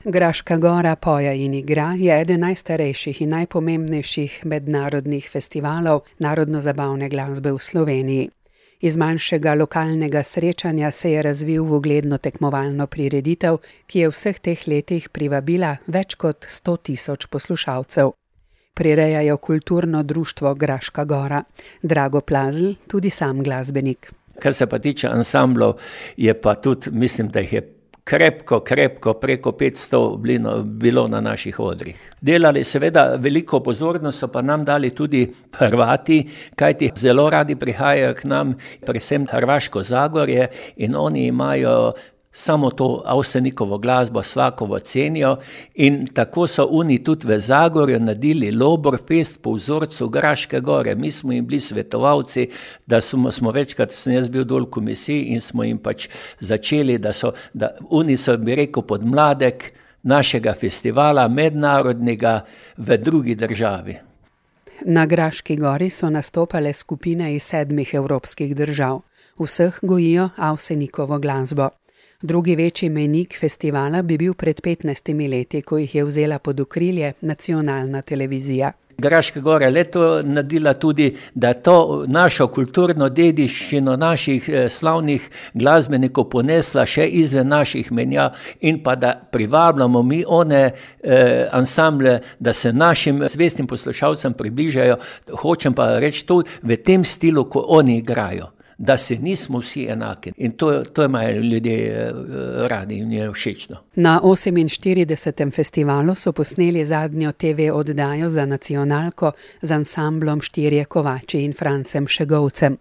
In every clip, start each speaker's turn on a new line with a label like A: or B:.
A: Graška gora poje in igra je eden najstarejših in najpomembnejših mednarodnih festivalov narodno-zabavne glasbe v Sloveniji. Iz manjšega lokalnega srečanja se je razvil v ugledno tekmovalno prireditev, ki je v vseh teh letih privabila več kot 100 000 poslušalcev. Prirejajo kulturno društvo Graška gora. Drago Plazl, tudi sam glasbenik.
B: Kar se pa tiče ansamblov, je pa tudi, mislim, da jih je krepko, preko 500 bilo na naših odrih. Delali seveda veliko pozornost, so pa nam dali tudi Hrvati, kajti zelo radi prihajajo k nam, predvsem Hrvaško Zagorje, in oni imajo samo to Avsenikovo glasbo svakovo cenijo, in tako so oni tudi v Zagorju naredili Loborfest po vzorcu Graške gore. Mi smo jim bili svetovalci, da smo večkrat, sem jaz bil dol v komisiji in smo jim pač začeli, da oni so, bi rekel, podmladek našega festivala mednarodnega v drugi državi.
A: Na Graški gori so nastopale skupine iz 7 evropskih držav. Vseh gojijo Avsenikovo glasbo. Drugi večji mejnik festivala bi bil pred 15 leti, ko jih je vzela pod okrilje nacionalna televizija.
B: Graška gora leto naredila tudi, da to našo kulturno dediščino naših slavnih glasbenikov ponesla še izven naših menja in pa da privabljamo mi one ansamble, da se našim zvestim poslušalcem približajo. Hočem pa reči to v tem stilu, ko oni igrajo, da se nismo vsi enaki. In to imajo ljudje radi in je všečno.
A: Na 48. festivalu so posneli zadnjo TV oddajo za nacionalko z ansamblom Štirje kovači in Francem Šegovcem.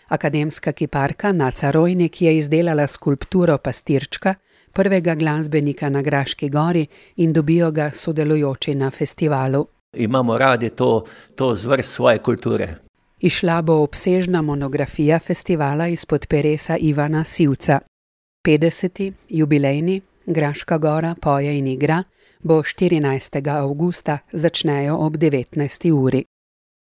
A: Akademska kiparka Naca Rojnik je izdelala skulpturo Pastirčka, prvega glasbenika na Graški gori, in dobijo ga sodelujoči na festivalu.
B: Imamo radi to zvrst svoje kulture.
A: Izšla bo obsežna monografija festivala izpod peresa Ivana Sivca. 50. jubilejni Graška gora poje in igra bo 14. avgusta, začnejo ob 19. uri.